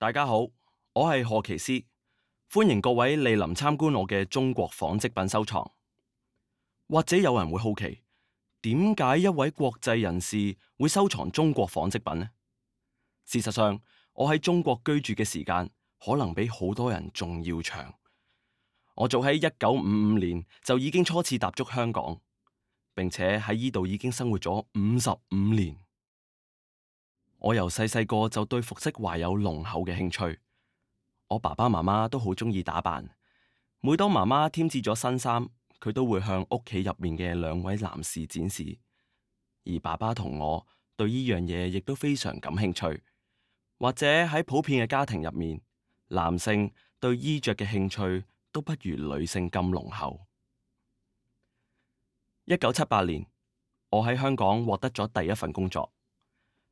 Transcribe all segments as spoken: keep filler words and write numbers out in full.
大家好，我係賀奇斯，歡迎各位蒞臨參觀我嘅中國紡織品收藏。或者有人會好奇，點解一位國際人士會收藏中國紡織品呢？事實上，我喺中國居住嘅時間可能比好多人仲要長。我早喺一九五五年就已經初次踏足香港，並且喺呢度已經生活咗五十五年。我由細細個就對服飾懷有濃厚嘅興趣。我爸爸媽媽都好鍾意打扮，每當媽媽添置咗新衫，佢都會向屋企入面嘅兩位男士展示。而爸爸同我對呢樣嘢亦都非常感興趣。或者喺普遍嘅家庭入面，男性對衣着嘅興趣都不如女性咁濃厚。一九七八年，我喺香港獲得咗第一份工作，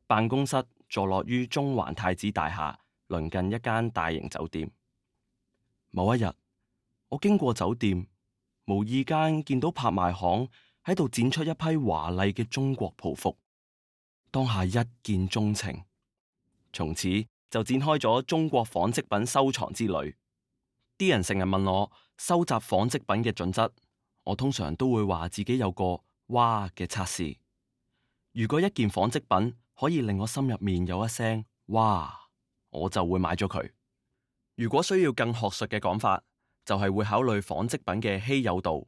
辦公室坐落於中環太子大廈，鄰近一間大型酒店。某一日，我經過酒店，無意間見到拍賣行喺度展出一批華麗嘅中國袍服，當下一見鍾情，從此就展開咗中國紡織品收藏之旅。啲人成日問我收集紡織品嘅準則，我通常都會話自己有個哇嘅測試。如果一件紡織品可以令我心入面有一聲哇，我就會買咗佢。如果需要更學術嘅講法，就係會考慮紡織品嘅稀有度、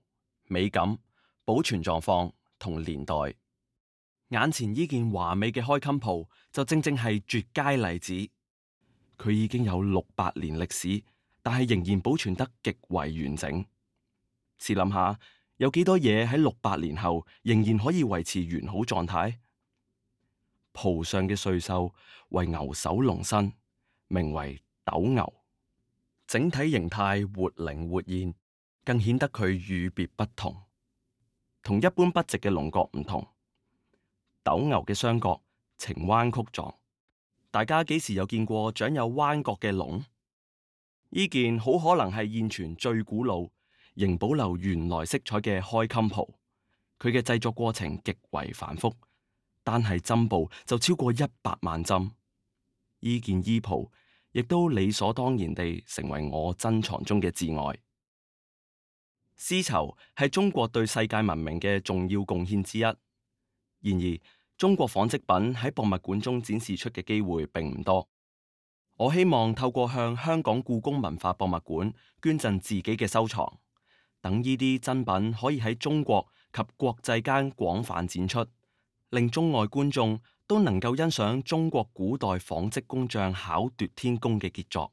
美感、保存狀況同年代。眼前呢件華美嘅開襟袍就正正係絕佳例子。佢已經有六百年歷史，但係仍然保存得極為完整。試諗下，有幾多嘢喺六百年後仍然可以維持完好狀態？袍上嘅穗繡為牛首龍身，名為斗牛。整體形態活靈活現，更顯得佢與別不同。同一般筆直嘅龍角唔同，斗牛嘅雙角呈彎曲狀。大家幾時有見過長有彎角嘅龍？呢件好可能係現存最古老、仍保留原來色彩嘅開襟袍。佢嘅製作過程極為繁複，單係針布就超過一百萬針。呢件衣袍亦都理所當然地成為我珍藏中嘅至愛。絲綢係中國對世界文明嘅重要貢獻之一。然而，中國紡織品喺博物館中展示出嘅機會並唔多。我希望透過向香港故宮文化博物館捐贈自己嘅收藏，等呢啲珍品可以喺中國及國際間廣泛展出，令中外觀眾都能夠欣賞中國古代紡織工匠巧奪天工嘅傑作。